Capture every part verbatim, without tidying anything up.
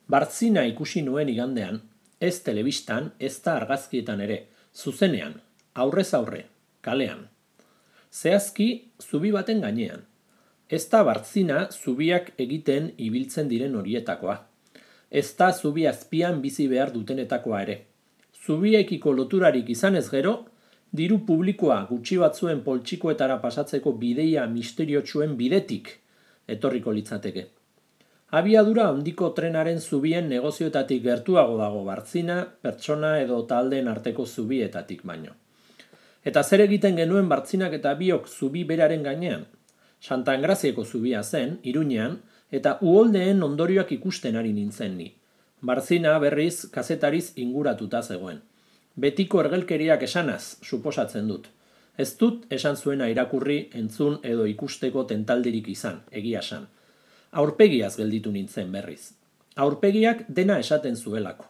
Bartzina ikusi nuen igandean, ez telebistan, ez da argazkietan ere, zuzenean, aurrez aurre, kalean. Zehazki, zubi baten gainean. Ez da Bartzina zubiak egiten ibiltzen diren horietakoa. Ez da zubi azpian bizi behar dutenetakoa ere. Zubiekiko loturarik izanez gero, diru publikoa gutxi batzuen poltsikoetara pasatzeko bideia misteriotsuen bidetik etorriko litzateke. Abiadura handiko trenaren zubien negozioetatik gertuago dago Bartzina, pertsona edo taldeen arteko zubietatik baino. Eta zer egiten genuen Bartzinak eta biok zubi beraren gainean? Santa Engrazieko zubia zen, Iruñean, eta uholdeen ondorioak ikusten ari nintzen ni. Bartzina berriz kazetariz inguratuta zegoen. Betiko ergelkeriak esanaz, suposatzen dut. Ez dut esan zuena irakurri, entzun edo ikusteko tentaldirik izan, egia esan. Aurpegiaz gelditu nintzen berriz. Aurpegiak dena esaten zuelako.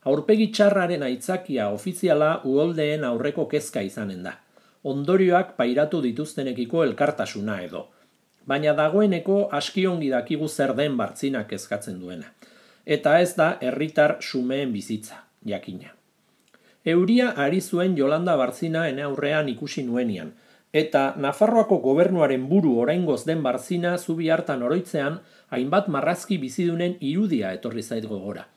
Aurpegi txarraren aitzakia ofiziala uholdeen aurreko kezka izanen da. Ondorioak pairatu dituztenekiko elkartasuna edo. Baina dagoeneko askiongi dakigu zer den Bartzinak kezkatzen duena. Eta ez da herritar xumeen bizitza, jakina. Euria ari zuen Jolanda Bartzina ene aurrean ikusi nuenian, eta Nafarroako gobernuaren buru oraingoz den Bartzina zubi hartan oroitzean hainbat marrazki bizidunen irudia etorri zait gogora.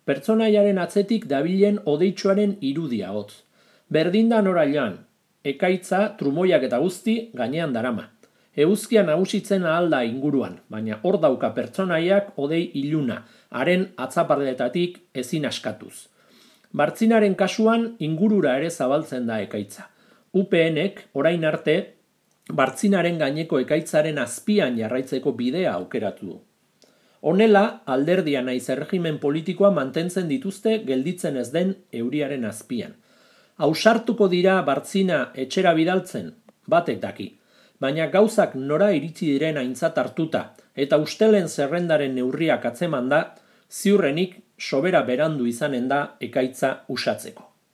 Pertsonaiaren atzetik dabilen odeitsuaren irudia hotz. Berdinda nora joan, ekaitza, trumoiak eta guzti gainean darama. Eguzkia nagusitzen ahalda inguruan, baina hor dauka pertsonaiak odei iluna, haren atzaparletatik ezin askatuz. Bartzinaren kasuan ingurura ere zabaltzen da ekaitza. U P N-ek orain arte Bartzinaren gaineko ekaitzaren azpian jarraitzeko bidea aukeratu du. Honela, alderdia naiz erregimen politikoa mantentzen dituzte gelditzen ez den euriaren azpian. Ausartuko dira Bartzina etxera bidaltzen, batek daki, baina gauzak nora iritsi diren aintzat hartuta eta ustelen zerrendaren neurriak atzeman da, ziurrenik sobera berandu izanen da ekaitza usatzeko.